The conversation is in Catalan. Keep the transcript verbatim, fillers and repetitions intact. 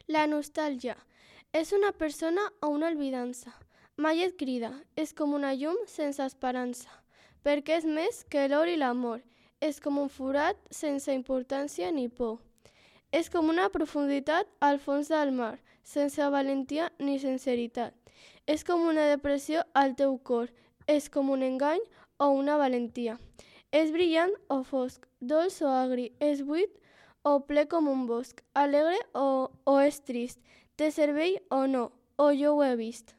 La nostàlgia és una persona o una olvidança. Mai et crida, és com una llum sense esperança, perquè és més que l'or i l'amor. És com un forat sense importància ni por. És com una profunditat al fons del mar, sense valentia ni sinceritat. És com una depressió al teu cor, és com un engany o una valentia. És brillant o fosc, dolç o agri, és buit o ple com un bosc, alegre o, o és trist, té cervell o no, o jo ho he vist.